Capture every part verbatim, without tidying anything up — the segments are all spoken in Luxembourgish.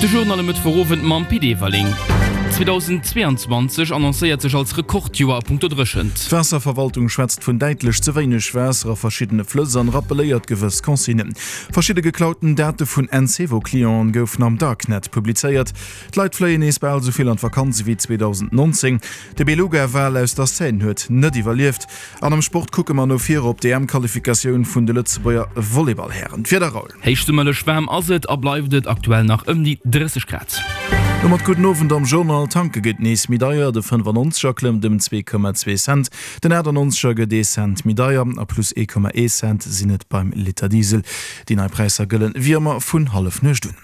De Journal um Mëttwochowend mam Pit Everling. zweedausendzweeanzwanzeg annoncéiert sech als Rekordjoer a punkto Dréchent. D'Waasserverwaltung schwätzt vun däitlech ze wéineg Waasser a verschiddene Flëss an rappelléiert gewëss Consignen. Verschidde geklauten Date vun Encevo-Clienten goufen am Darknet publizéiert. D'Leit fléien nees bal esou vill an d'Vakanz ewéi zweedausendnonzéng. De Beluga-Wal aus der Seine huet net iwwerlieft. An am Sport kucke mer no vir op d'EM-Qualifikatioun vun de Lëtzebuerger Volleyball-Hären. D'Wieder, Raoul. Héichsummerlech waarm ass et a bleift et aktuell nach ëm déi drësseg Grad. Domat gudden Owend am Journal. Tanke gëtt nees méi deier, de fënnefannonzeger klëmmt ëm zwee Komma zwee Cent, den achtannonzeger gëtt ee Cent méi deier a plus ee Komma ee Cent sinn et beim Liter Diesel. Déi nei Präisser gëllen wéi ëmmer vun Hallefnuecht un.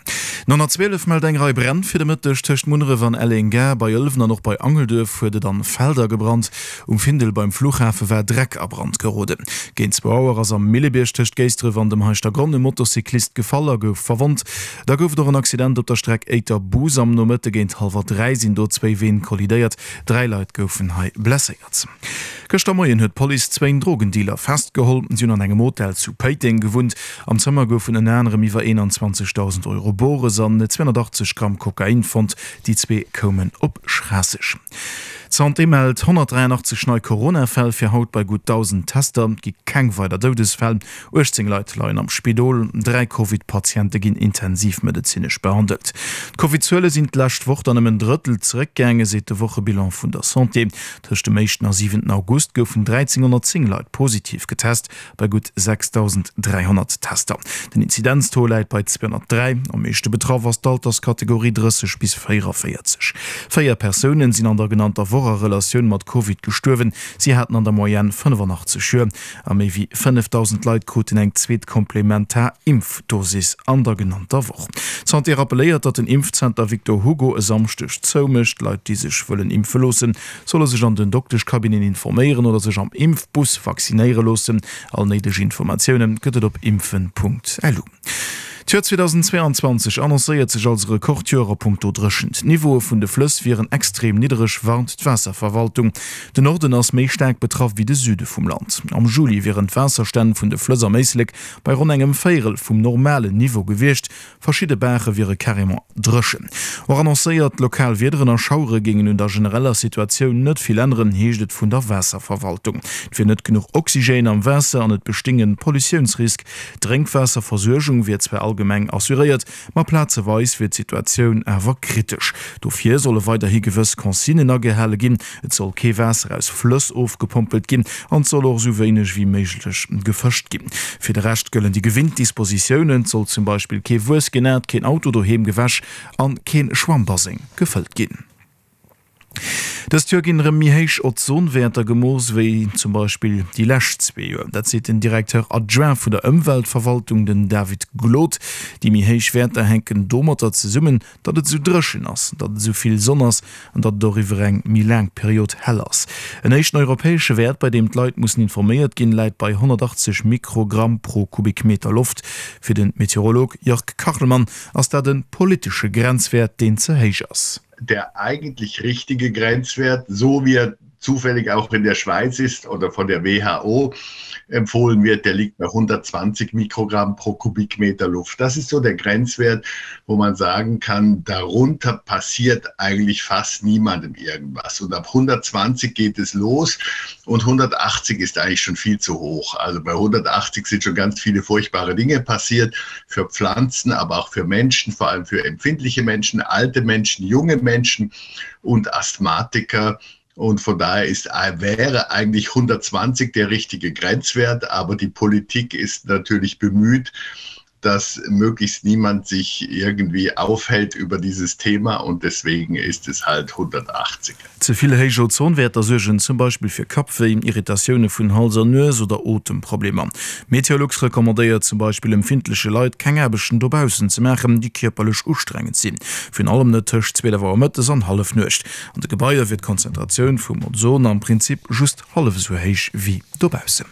Den honnertzwielef mellt eng Rei Bränn fir de Mëtteg tëscht Munneref an Elleng-Gare. Bei Ëlwen an och bei Angelduerf huet et an Felder gebrannt. Um Findel beim Fluchhafe war Dreck a Brand geroden. Géint zwou Auer ass am Millebierg tëscht Géisdref an dem Heischtergronn e Motocyclist gefall a gouf verwonnt. Da gouf et och en Accident op der Streck Éiter-Bus. Am Nomëtte géint hallwer dräi sinn do zwéi Ween kollidéiert. Dräi Leit goufen hei blesséiert. Gëschter Moien huet d'Police zwéin Drogendealer festgeholl. Si hunn an engem Hotel zu Péiteng gewunnt. Am Zëmmer goufen ënner anerem iwwer eenanzwanzegdausend Euro Bores an zweehonnertachtzeg Gramm Kokain fonnt. Déi zwee koumen op Schraasseg. D'Santé mellt honnertdräianachtzeg nei Corona-Fäll fir haut bei gutt dausend Tester. Et gi keng weider Doudesfäll. uechtzéng Leit leien am Spidol, dräi Covid-Patiente ginn intensivmedezinesch behandelt. D'Covid-Zuele sinn d'lescht Woch dann ëm en Drëttel zeréckgaangen, seet de Wochebilan vun der Santé. Tëscht dem éischten a siwenten August goufen dräizénhonnertzéng Leit positiv getest, bei gutt sechsdausend dräihonnert Tester. Den Inzidenztaux läit bei zweehonnertdräi. Am meeschte betraff ass d'Alterskategorie drësseg bis véieranvéierzeg. Véier Persounen sinn an der genannter Woch a Relatioun mat Covid gestuerwen. Si haten an der Moyenne fënnefannachtzeg Joer. A méi wéi fënnefdausend Leit kruten eng zweet komplementar Impfdosis an der genannter Woch. D'Santé rappelléiert, datt den Impfzenter Victor Hugo e Samschdeg zoumécht. Leit, déi sech wëllen impfe loossen, solle sech an den Dokteschcabineten informéieren oder sech am Impfbus vaccinéiere loossen. All néideg Informatioune gëtt et op impfen Punkt lu. D'Joer zweedausendzweeanzwanzeg annoncéiert sech als Rekordjoer a punkto Dréchent. D'Niveaue vun de Flëss wieren extrem niddereg, warnt d'Waasserverwaltung. Den Norden ass méi staark betraff wéi de Süde vum Land. Am Juli wieren d'Waasserstänn vun de Flëss am Éislek bei ronn engem Véierel vum normalen Niveau gewiescht. Verschidde Baache wiere carrément dréchen. Och annoncéiert lokal Wiederen a Schauere géingen un der genereller Situatioun net vill änneren, heescht et vun der Waasserverwaltung. Et wier net genuch Oxygène am Waasser an et bestéing e Pollutiounsrisk. D'Drénkwaasserversuergung wier zwar allgemeng assuréiert, ma plazeweis wier d'Situatioun awer kritesch. Dofir solle weiderhi gewëss Consignen agehale ginn, Et soll kee Waasser aus Flëss ofgepompelt ginn an et soll och esou wéineg wéi méiglech gefëscht ginn. Fir de Rescht gëllen déi gewinnt Dispositiounen, Et soll zum Beispill kee Wuess genat, keen Auto doheem gewäsch an keen Schwammbaseng gefëllt ginn. Dëst Joer ginn erëm méi héich Ozonwäerter gemooss wéi zum Beispill déi lescht zwee Joer. Dat seet den Directeur adjoint vun der Ëmweltverwaltung, den David Glod. Déi méi héich Wäerter hänken domatter zesummen, datt et esou dréchen ass, datt et esou vill Sonn ass an datt et och iwwer eng méi laang Period hell ass. En éischten europäesche Wäert, bei deem d'Leit mussen informéiert ginn, läit bei honnertachtzeg Mikrogramm pro Kubikmeter Loft. Fir de Meteorolog Jörg Kachelmann ass dat e politesche Grenzwäert, deen ze héich ass. Der eigentlich richtige Grenzwert, so wie er zufällig auch in der Schweiz ist oder von der W H O empfohlen wird, der liegt bei hundertzwanzig Mikrogramm pro Kubikmeter Luft. Das ist so der Grenzwert, wo man sagen kann, darunter passiert eigentlich fast niemandem irgendwas. Und ab hundertzwanzig geht es los und hundertachtzig ist eigentlich schon viel zu hoch. Also bei hundertachtzig sind schon ganz viele furchtbare Dinge passiert für Pflanzen, aber auch für Menschen, vor allem für empfindliche Menschen, alte Menschen, junge Menschen und Asthmatiker. Und von daher ist, wäre eigentlich hundertzwanzig der richtige Grenzwert, aber die Politik ist natürlich bemüht, dass möglichst niemand sich irgendwie aufhält über dieses Thema und deswegen ist es halt hundertachtzig. Ze vill héich Ozonwäerter suergen zum Beispill fir Kappwéi, Irritatioune vun Hals an Nues oder Otemproblemer. Meteolux recommandéiert zum Beispill empfindleche Leit, keng Aarbechten dobaussen ze maachen, déi kierperlech ustrengend sinn. Virun allem net tëscht zwielef Auer mëttes an Hallefnuecht. An de Gebaier wier d'Konzentratioun vum Ozon am Prinzip just hallef esou héich wéi dobaussen.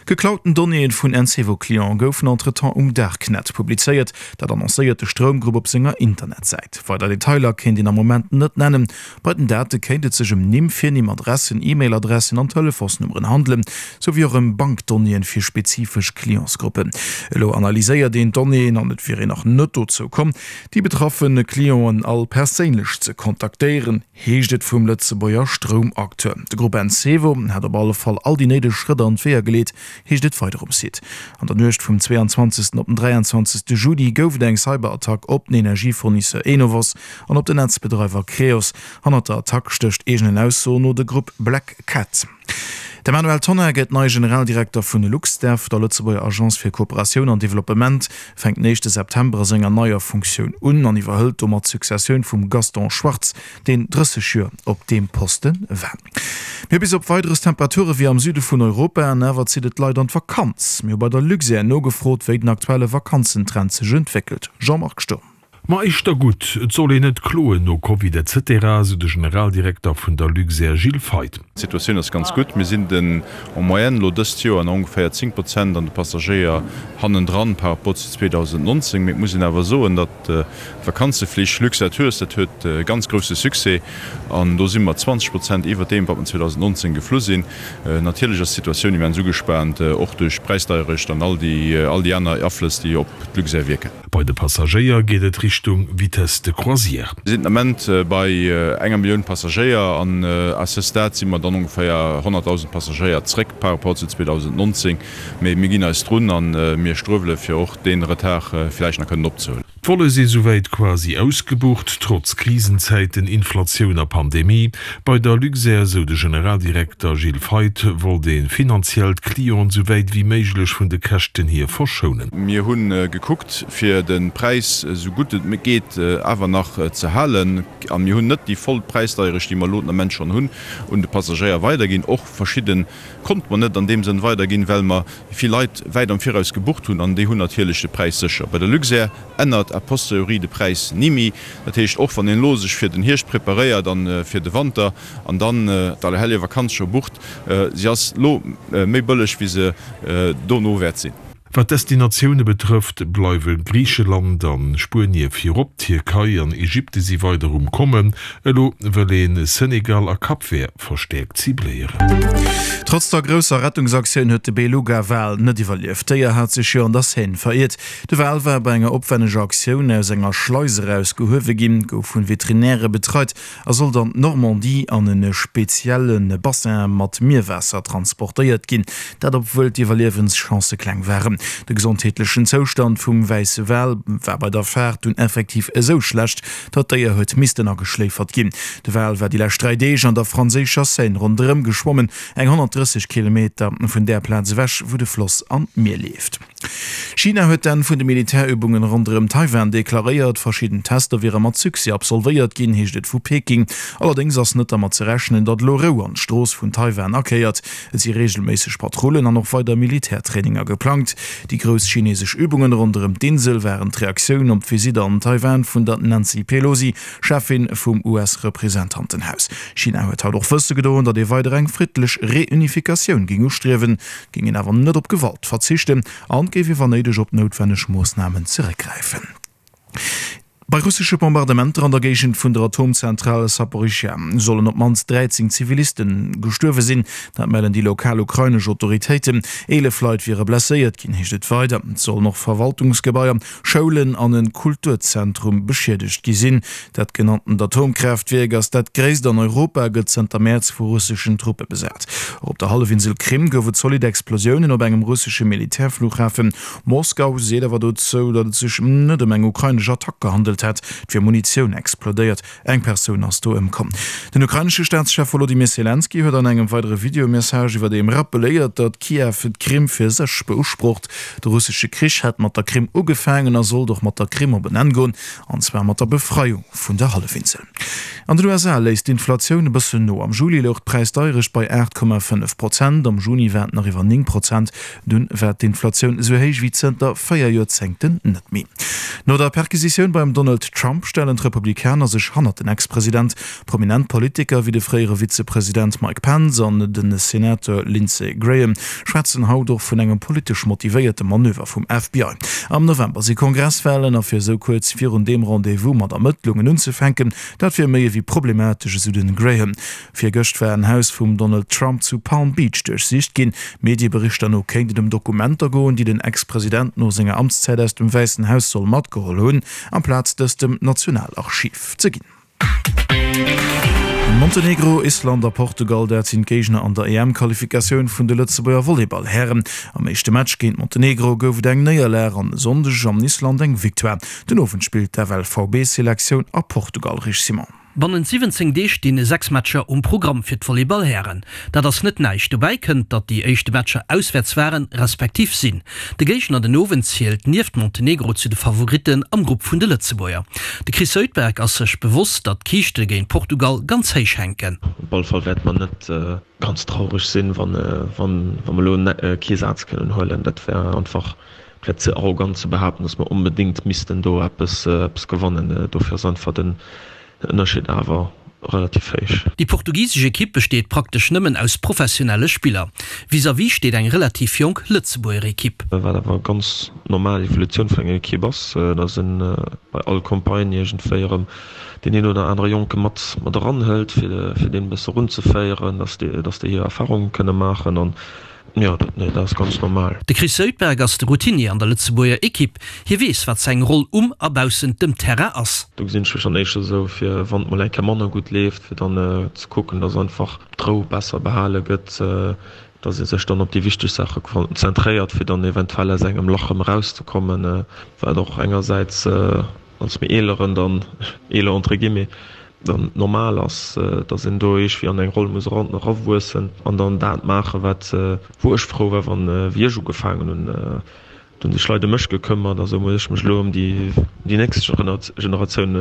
Geklauten Donnéeë vun Encevo-Cliente goufen entretemps um Darknet publizéiert. Dat annoncéiert de Stroumgrupp op senger Internetsäit. Weider Detailer kéint een am Moment net nennen. Bei den Date kéint et sech ëm Nimm, Virnimm, Adressen, E-Mail-Adressen an Telefonsnummeren handelen, sou wéi och ëm Bankdonnéeën fir spezifesch Clientsgruppen. Elo analyséiert een d'Donnéeën an et wier een nach net dozou komm, déi betraffe Clienten all perséinlech ze kontaktéieren, heescht et vum Lëtzebuerger Stroumacteur. De Grupp Encevo hätt op alle Fall all déi néideg Schrëtt an d'Weeër geleet, heescht et weider um Site. An der Nuecht vum zweiundzwanzegsten op den dräianzwanzegste Juni gouf et eng Cyberattack op den Energiefournisseur Enovos an op den Netzbedreiwer Creos. Hannert der Attack stécht eegenen Aussoen no de Grupp Black Cat. De Manuel Tonnar gëtt neie Generaldirekter vun LuxDev, der Lëtzebuerger Agence fir Kooperatioun an Developpement, fänkt den éischte September a senger neier Funktioun un an iwwerhëlt domat d'Successioun vum Gaston Schwartz, deen drësseg Joer op deem Poste war. Mir hu bis op Weideres Temperature wéi am Süde vun Europa an awer zitt et d'Leit an d'Vakanz. Mir hu bei der Luxair nogefrot, wéi den aktuelle Vakanzentrend sech entwéckelt. Jean-Marc Sturm. Ma éischter gutt, et soll een net kloen no Covid etc, sou de Generaldirekter vun der Luxair Gilles Feith. D'Situatioun ass ganz gutt. Mir sinn den en moyenne elo dëst Joer nach ongeféier zéng Prozent an de Passagéier hannendran par rapport zu zweedausendnonzéng. Mee et muss een awer soen, datt d'Vakanzeflich Luxair Tours, dat huet e ganz grousse Succès an do si mer zwanzeg Prozent iwwert deem, wat mer zweedausendnonzéng geflu sinn. Natierlech ass d'Situatioun immens ugespaant, och duerch d'Präisdeierecht an all déi all déi aner Aflëss, déi op d'Luxair wierken. Bei de Passagéier geet et Richtung Vitesse de croisière. Mir sinn den Ament bei enger Millioun Passagéier an à ce stade si mer dann ongeféier honnertdausend Passagéier zréck par rapport zu zweedausendnonzéng. Mee mir ginn eis drun a mir struewele fir och dee Retard villäicht nach kënnen opzehuelen. D'Volle si souwäit quasi ausgebucht, trotz Krisenzäiten, Inflatioun a Pandemie. Bei der Luxair, sou de Generaldirekter Gilles Feith, wollt ee finanziell d'Clienten souwäit wéi méiglech vun de Käschten hier verschounen. Mir hu gekuckt, fir de Präis esou gutt et geet awer nach ze halen. A mir hunn net déi voll Präisdeierecht, déi mer elo den Ament schonn hunn, un de Passagéier weiderginn. Och verschidde konnte mer net an deem Sënn weiderginn, well mer vill Leit wäit am Viraus gebucht hunn an déi hunn natierlech de Präis sécher. Bei der Luxair ännert a posteriori de Präis ni méi. Dat heescht, och wann een elo sech fir den Hierscht preparéiert a fir de Wanter an dann d'Allerhellevakanz scho bucht, si ass elo méi bëlleg, wéi se dono wäert sinn. Wat d'Destinatioune betrëfft, bleiwe Griicheland a Spuenie virop, d'Tierkei an Ägypte si weider um Kommen. Elo wëll ee Senegal a Cap Vert verstäerkt cibléieren. Trotz der grousser Rettungsaktioun huet de Beluga-Wal net iwwerlieft. D'Déier hat sech jo an der Seine veriert. De Wal war bei enger opwänneger Aktioun aus enger Schleis eraus gehuewe ginn, gouf vun Veterinäre betreit a sollt an d'Normandie an e spezielle Bassin mat Mierwaasser transportéiert ginn. Dat obwuel d'Iwwerliewenschancë kleng waren. De gesondheetlechen Zoustand vum wäisse Wal war bei der Faart dunn effektiv esou schlecht, datt d'Déier huet missten ageschléifert ginn. De Wal war déi lescht dräi Deeg an der franséischer Seine ronderëm geschwommen, eng honnertdrësseg Kilometer vun där Plaz ewech, wou de Floss an d'Mier leeft. China huet d'Enn vun de Militärübungen ronderëm Taiwan deklaréiert. Verschidden Tester wiere mat Succès absolvéiert ginn, heescht et vu Peking. Allerdéngs ass net dermat ze rechnen, datt elo Rou an d'Strooss vun Taiwan akéiert. Et si reegelméisseg Patrullen an och weider Militärtraininger geplangt. Déi grouss chinesesch Übungen ronderëm d'Insel waren d'Reaktioun op d'Visitt an Taiwan vun der Nancy Pelosi, Cheffin vum U S-Representantenhaus. China huet haut och wësse gedoen, datt ee weider eng friddlech Reunifikatioun géing ustriewen, géing een awer net op Gewalt verzichten an géif ee wann néideg op noutwenneg Moossnamen zeréckgräifen. Bei russesche Bombardementer an der Géigend vun der Atomzentral Saporischschja sollen op d'mannst dräizéng Ziviliste gestuerwe sinn. Dat mellen déi lokal ukrainesch Autoritéiten. Eelef Leit wiere blesséiert ginn, heescht et weider. Et sollen och Verwaltungsgebaier, Schoulen an e Kulturzentrum beschiedegt gi sinn. Dat genanntent Atomkraaftwierk ass dat gréisst an Europa, gëtt zënter Mäerz vu russeschen Truppe besat. Och op der Hallefinsel Krim gouf et zolidd Explosiounen op engem russesche Militärflughafen. Moskau seet awer dozou, datt et sech net ëm eng ukrainesch Attack gehandelt hätt. Et wier Munitioun explodéiert, eng Persoun ass do ëmkomm. Den ukrainesche Staatschef Wolodymyr Selenskyj huet an engem weidere Videomessage iwwerdeem rappelléiert, datt Kiew d'Krim fir sech beusprocht. De russesche Krich hätt mat der Krim ugefaangen a sollt och mat der Krim op en Enn goen, an zwar mat der Befreiung vun der Hallefinsel. An den U S A léisst d'Inflatioun e bëssen no. Am Juli louch d'Präisdeierecht bei aacht Komma fënnef Prozent, am Juni war et nach iwwer néng Prozent. Dunn war d'Inflatioun esou héich wéi zënter véier Joerzéngten net méi. No der Perquisitioun beim Donald Donald Trump stellen d'Republikaner sech hannert den Ex-President. Prominent Politiker wéi de fréiere Vizepresident Mike Pence an de Senateur Lindsey Graham schwätzen haut och vun engem politesch motivéierte Manöver vum F B I. Am November si Kongresswalen a fir esou kuerz virun deem Rendez-vous mat Ermëttlungen unzefänken, dat wier méi ewéi problematesch, esou den Graham. Virgëscht war en Haus vum Donald Trump zu Palm Beach duerchsicht ginn. Medieberichter no kéint et ëm Dokumenter goen, déi den Ex-President no senger Amtszäit aus dem Wäissen Haus soll matgeholl hunn, amplaz dës dem Nationalarchiv ze ginn. Montenegro, Island a Portugal, dat sinn d'Géigner an der E M-Qualifikatioun vun de Lëtzebuerger Volleyball-Hären. Am éischte Match géint Montenegro gouf et eng Néierlag an e Sonndeg an Island eng Victoire. Den Owend spillt d'F L V B-Selektioun a Portugal. Rich Simon. Bannent siwwenzéng Deeg stinn sechs Matcher um Programm fir d'Volleyball-Hären. Dat ass net näischt. Dobäi kënnt, datt déi éischte Matcher auswäerts waren, respektiv sinn. De Géigner den Owend zielt nieft Montenegro zu de Favoritten am Grupp vun de Lëtzebuerger. De Chris Zuidberg ass sech bewosst, datt d'Kiischte géint Portugal ganz héich hänken. Op alle Fall wäerte mer net ganz traureg sinn, wann mer elo kee Saz kënnen huelen. Dat wär einfach wär ze arrogant ze behaapten, datt mer onbedéngt missten do eppes gewannen. Dofir ass einfach den Ënnerscheed awer relativ héich. Déi portugisesch Ekipp besteet praktesch nëmmen aus professionelle Spiller. Vis-à-vis steet eng relativ jonk Lëtzebuerger Ekipp. Wat awer ganz normal Evolutioun vun enger Ekipp ass, datt een bei all Campagne iergendwéi erëm deen een oder anere Jonke mat mat eranhëlt, fir fir deen e bësse erunzeféieren, datt déi datt déi hir Erfarunge kënne maachen an jo, dat nee, dat ass ganz normal. De Chris Zuidberg ass de Routinier an der Lëtzebuerger Ekipp. Hie weess, wat seng Roll um a baussent dem Terrain ass. Do gesinn ech mech dann éischter esou, fir wann et mol eng Kéier manner gutt leeft, fir dann ze kucken, datt einfach d'Rou besser behale gëtt, datt ee sech dann op déi wichteg Saache konzentréiert, fir dann eventuell aus engem Lach erëm erauszekommen, wat och engersäits als méi Eeleren dann, eeler entre guillemets, dann normal ass, datt een do iergwéi an eng Roll muss erawuessen an dann dat maachen, wat, wou ech frou war, wann, wéi ech ugefaangen hunn, do hunn sech Leit ëm mech gekëmmert a sou muss ech mech elo ëm déi, déi nächst Generatioun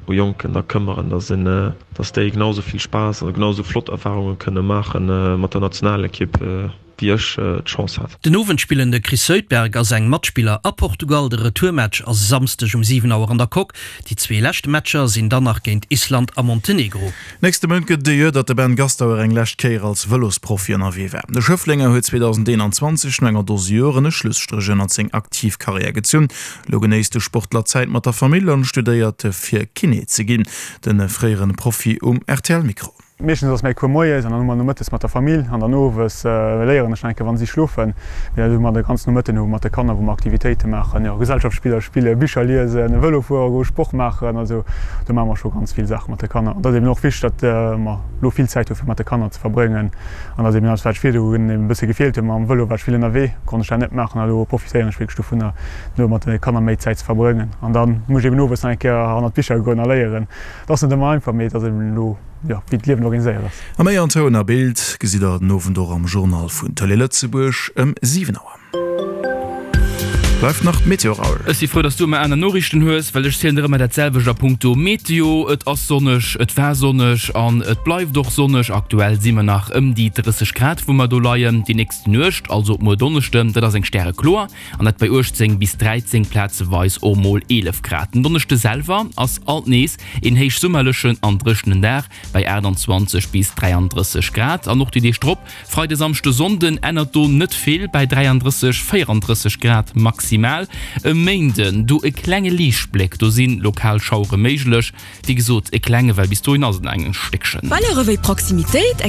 u Jonken da këmmeren, datt een, datt déi genau sou vill Spaass a genau sou flott Erfarunge kënne maache mat der Nationalekipp, wéi ech d'Chance hat. Den Owend spillen de Chris Zuidberg a seng Matspiller a Portugal. De Retourmatch ass e Samsdeg um siwen Auer an der Coque. Déi zwee lescht Matcher sinn dann nach géint Island a Montenegro. Nächste Mount gëtt et e Joer, datt de Ben Gastauer eng lescht Kéier als Vëlosprofi ënnerwee war. De Schëfflenger huet zweedausendeenanzwanzeg no enger Dose Joren e Schlusstréch ënnert seng aktiv Karriär gezunn. Elo genéisst de Sportler Zäit mat der Famill an studéiert fir Kiné ze ginn. De fréiere Profi um R T L Mikro. Meeschtens ass mäi Cours moies an dann hu mer nomëttes mat der Famill an dann owes léieren ech nach eng Kéier wann si schlofen. Mee dat hu mer de ganzen Nomëtten hu mat de Kanner wou mer Aktivitéite maachen, jo Gesellschaftsspiller spillen, Bicher liesen, Vëlo fuere goen, Sport maachen. Also do maache mer scho ganz vill Saache mat de Kanner. An dat ass eben och wichteg, datt mer elo vill Zäit hu fir mat de Kanner ze verbréngen an datt eben alles wat ech virdu hunn eben e bësse gefeelt huet mam Vëlo war ech vill ënnerwee, konnt ech dat net maachen a elo profitéieren ech wierklech dovunner elo mat de Kanner méi Zäit ze verbréngen. An da muss ech eben owes nach eng Kéier hannert d'Bicher goen a léieren. Dat ass net ëmmer einfach, mee et ass eben elo, jo, wéi d'Liewen organiséiert ass. A méi an Toun a Bild gesitt der den Owend och am Journal vun Tëlee Lëtzebuerg ëm siwen Auer. Bleift nach d'Meteo, Raoul. Ech si frou, dass du ëmmer aner Noriichten hues, well ech zielen der ëmmer dat selwecht a punkto Meteo. Et ass sonneg, et war sonneg an et bleift och sonneg. Aktuell si mer nach ëm déi drësseg Grad, wou mer do leien. Déi nächst Nuecht, also op muer Donneschden, dat ass eng stärekloer an dat bei uechtzéng bis dräizéng, plazeweis och mol eelef Grad. Den Donneschde selwer ass alt nees een héichsummerlechen an dréchenen Dag bei aachtanzwanzeg bis dräiandrësseg Grad an och déi Deeg drop, Freide, Samschde, Sonnden, ännert do net vill bei dräiandrësseg, véierandrësseg Grad maximal. E Méinden do e klenge Liichtbléck, do si lokal Schauere méiglech. Wéi gesot e klenge, well bis dohin ass et nach eng Stéckchen. Valeuren wéi Proximitéit,